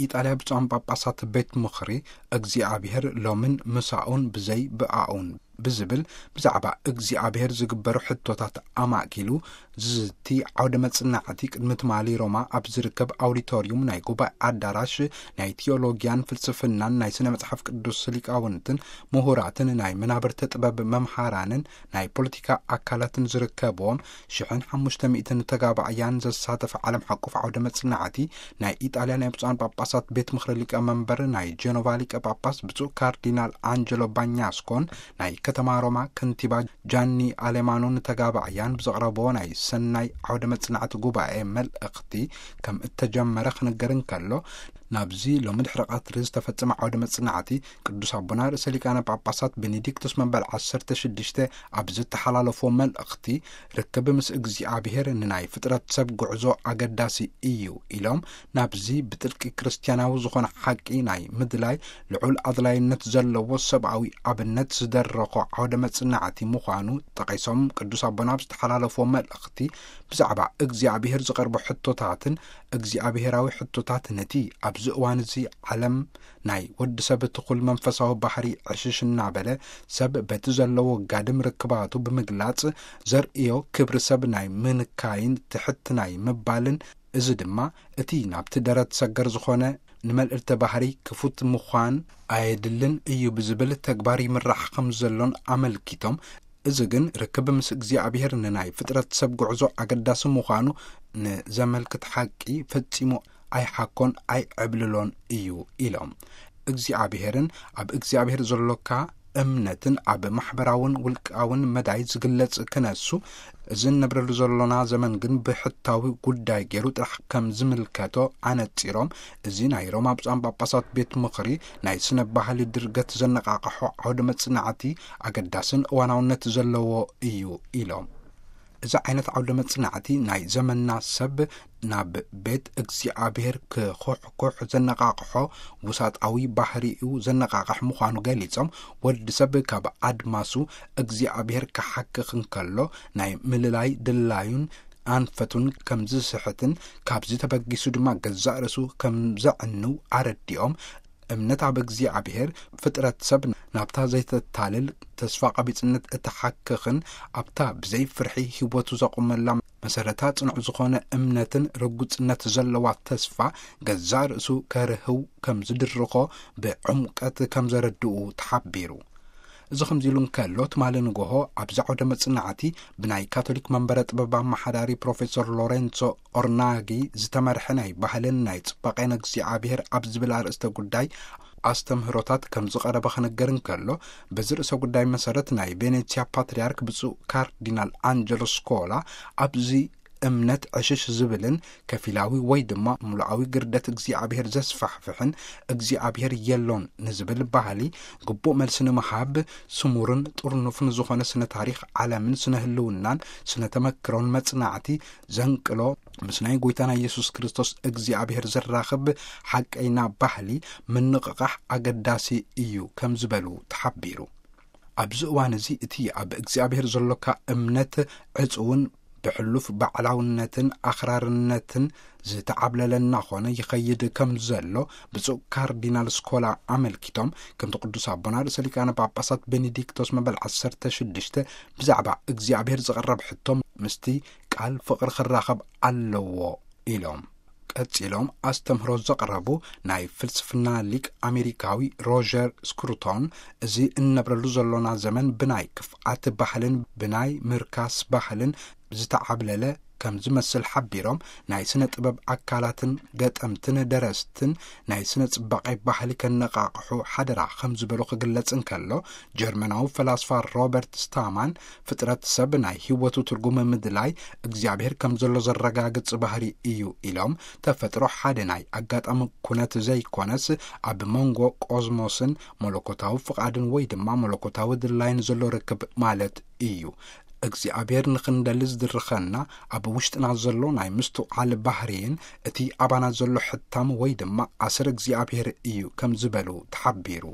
ኢጣልያ ብፁዓን ጳጳሳት ቤት ምኽሪ እግዚኣብሔር ሎምን ምሳኡን ብዘይ ብኣኡን ብዝብል ብዛዕባ እግዚኣብሔር ዝግበሩ ሕቶታት ኣማእኪሉ ዝዝቲ ዓውደ መጽናዕቲ ቅድሚ ትማሊ ሮማ ኣብ ዝርከብ ኣውዲቶርዩም ናይ ጉባኤ ኣዳራሽ ናይ ቲዮሎጊያን ፍልስፍናን ናይ ስነ መጽሓፍ ቅዱስ ሊቃውንትን ምሁራትን ናይ መናብርቲ ጥበብ መምሃራንን ናይ ፖለቲካ ኣካላትን ዝርከብዎም ሽሕን ሓሙሽተ ሚእትን ተጋባእያን ዘሳተፈ ዓለም ሓቁፍ ዓውደ መጽናዕቲ ናይ ኢጣልያ ናይ ብፁዓን ጳጳሳት ቤት ምኽሪ ሊቀ መንበር ናይ ጀኖቫ ሊቀ ጳጳስ ብፁዕ ካርዲናል ኣንጀሎ ባኛስኮን ናይ ከተማ ሮማ ከንቲባ ጃኒ ኣሌማኖ ንተጋባእያን ብዘቕረብዎ ናይ ሰናይ ዓውደ መጽናዕቲ ጉባኤ መልእኽቲ ከም እተጀመረ ክንገር እንከሎ፣ ናብዚ ሎሚ ድሕሪ ቀትሪ ዝተፈጸመ ዓውደ መጽናዕቲ ቅዱስ ኣቦና ርእሰ ሊቃነ ጳጳሳት ቤኔዲክቶስ መበል ዓሰርተ ሽዱሽተ ኣብ ዝተሓላለፎ መልእኽቲ፣ ርክብ ምስ እግዚኣብሔር ንናይ ፍጥረት ሰብ ጉዕዞ ኣገዳሲ እዩ ኢሎም፣ ናብዚ ብጥልቂ ክርስትያናዊ ዝኾነ ሓቂ ናይ ምድላይ ልዑል ኣድላይነት ዘለዎ ሰብኣዊ ኣብነት ዝደረኾ ዓውደ መጽናዕቲ ምዃኑ ጠቒሶም፣ ቅዱስ ኣቦና ኣብ ዝተሓላለፎ መልእኽቲ ብዛዕባ እግዚኣብሔር ዝቐርቡ ሕቶታትን እግዚኣብሔራዊ ሕቶታት ነቲ ኣብዚ እዋን እዚ ዓለም ናይ ወዲ ሰብ ትኹል መንፈሳዊ ባህሪ ዕሽሽ እናበለ ሰብ በቲ ዘለዎ ጋድም ርክባቱ ብምግላጽ ዘርእዮ ክብሪ ሰብ ናይ ምንካይን ትሕት ናይ ምባልን፣ እዚ ድማ እቲ ናብቲ ደረት ሰገር ዝኾነ ንመልእልተ ባህሪ ክፉት ምዃን ኣየድልን እዩ ብዝብል ተግባር ይምራሕ ከም ዘሎን ኣመልኪቶም፣ እዚ ግን ርክብ ምስ እግዚኣብሔር ንናይ ፍጥረት ሰብ ጉዕዞ ኣገዳሲ ምዃኑ ንዘመልክት ሓቂ ፈጺሙ ኣይሓኮን ኣይዕብልሎን እዩ ኢሎም። እግዚኣብሔርን ኣብ እግዚኣብሔር ዘሎካ እምነትን ኣብ ማሕበራውን ውልቃውን መዳይ ዝግለጽ ክነሱ፣ እዚ እንነብረሉ ዘሎና ዘመን ግን ብሕታዊ ጉዳይ ገይሩ ጥራሕ ከም ዝምልከቶ ኣነጺሮም፣ እዚ ናይ ሮማ ብፁዓን ጳጳሳት ቤት ምኽሪ ናይ ስነ ባህሊ ድርገት ዘነቓቕሖ ዓውደ መጽናዕቲ ኣገዳስን እዋናውነት ዘለዎ እዩ ኢሎም። እዚ ዓይነት ዓውደ መጽናዕቲ ናይ ዘመንና ሰብ ናብ ቤት እግዚኣብሔር ክኹሕኩሕ ዘነቓቕሖ ውሳጣዊ ባህሪኡ ዘነቓቕሕ ምዃኑ ገሊጾም፣ ወዲ ሰብ ካብ ኣድማሱ እግዚኣብሔር ክሓክኽ እንከሎ ናይ ምልላይ ድላዩን ኣንፈቱን ከም ዝስሕትን ካብዚ ተበጊሱ ድማ ገዛእ ርእሱ ከም ዘዕንው ኣረዲኦም፣ እምነት ኣብ እግዚኣብሔር ፍጥረት ሰብ ናብታ ዘይተታልል ተስፋ ቐቢጽነት እትሓክኽን ኣብታ ብዘይ ፍርሒ ህይወቱ ዘቑመላ መሰረታ ጽኑዕ ዝኾነ እምነትን ርጉጽነት ዘለዋ ተስፋ ገዛእ ርእሱ ከርህው ከም ዝድርኾ ብዕምቀት ከም ዘረድኡ ተሓቢሩ። እዚ ከምዚ ኢሉ እንከሎ፣ ትማሊ ንጎሆ ኣብዚ ዓውደ መጽናዕቲ ብናይ ካቶሊክ መንበረ ጥበብ ኣመሓዳሪ ፕሮፌሰር ሎሬንሶ ኦርናጊ ዝተመርሐ ናይ ባህልን ናይ ጽባቄን እግዚኣብሔር ኣብ ዝብል ኣርእስተ ጉዳይ ኣስተምህሮታት ከም ዝቐረበ ክነገር እንከሎ፣ በዚ ርእሰ ጉዳይ መሰረት ናይ ቬኔትስያ ፓትርያርክ ብፁዕ ካርዲናል ኣንጀሎ ስኮላ ኣብዚ እምነት ዕሽሽ ዝብልን ከፊላዊ ወይ ድማ ሙሉኣዊ ግርደት እግዚኣብሔር ዘስፋሕፍሕን እግዚኣብሔር የሎን ንዝብል ባህሊ ግቡእ መልሲ ንምሃብ ስሙርን ጥርኑፍን ዝኾነ ስነ ታሪኽ ዓለምን ስነ ህልውናን ስነ ተመክሮን መጽናዕቲ ዘንቅሎ ምስ ናይ ጎይታና ኢየሱስ ክርስቶስ እግዚኣብሔር ዘራኽብ ሓቀይና ባህሊ ምንቕቓሕ ኣገዳሲ እዩ ከም ዝበሉ ተሓቢሩ። ኣብዚ እዋን እዚ እቲ ኣብ እግዚኣብሔር ዘሎካ እምነት ዕጹውን ብሕሉፍ ባዕላውነትን ኣኽራርነትን ዝተዓብለለ እናኾነ ይኸይድ ከም ዘሎ ብፁዕ ካርዲናል ስኮላ ኣመልኪቶም፣ ከምቲ ቅዱስ ኣቦና ርእሰ ሊቃነ ጳጳሳት ቤኔዲክቶስ መበል ዓሰርተ ሽዱሽተ ብዛዕባ እግዚኣብሔር ዝቐረብ ሕቶ ምስቲ ቃል ፍቕሪ ክራኸብ ኣለዎ ኢሎም። ቀጺሎም ኣስተምህሮ ዘቕረቡ ናይ ፍልስፍና ሊቅ ኣሜሪካዊ ሮጀር ስክሩቶን፣ እዚ እንነብረሉ ዘሎና ዘመን ብናይ ክፍኣት ባህልን ብናይ ምርካስ ባህልን ዝተዓብለለ ከም ዝመስል ሓቢሮም፣ ናይ ስነ ጥበብ ኣካላትን ገጠምትን ደረስትን ናይ ስነ ጽባቄ ባህሊ ከነቓቕሑ ሓደራ ከም ዝበሉ ክግለጽ እንከሎ፣ ጀርመናዊ ፈላስፋ ሮበርት ስታማን ፍጥረት ሰብ ናይ ህይወቱ ትርጉም ምድላይ እግዚኣብሔር ከም ዘሎ ዘረጋግጽ ባህሪ እዩ ኢሎም፣ ተፈጥሮ ሓደ ናይ ኣጋጣሚ ኩነት ዘይኮነስ ኣብ መንጎ ቆዝሞስን መለኮታዊ ፍቓድን ወይ ድማ መለኮታዊ ድላይን ዘሎ ርክብ ማለት እዩ። እግዚኣብሔር ንኽንደሊ ዝድርኸና ኣብ ውሽጥና ዘሎ ናይ ምስትውዓል ባህርይን እቲ ኣባና ዘሎ ሕታም ወይ ድማ ኣሰር እግዚኣብሔር እዩ ከም ዝበሉ ተሓቢሩ።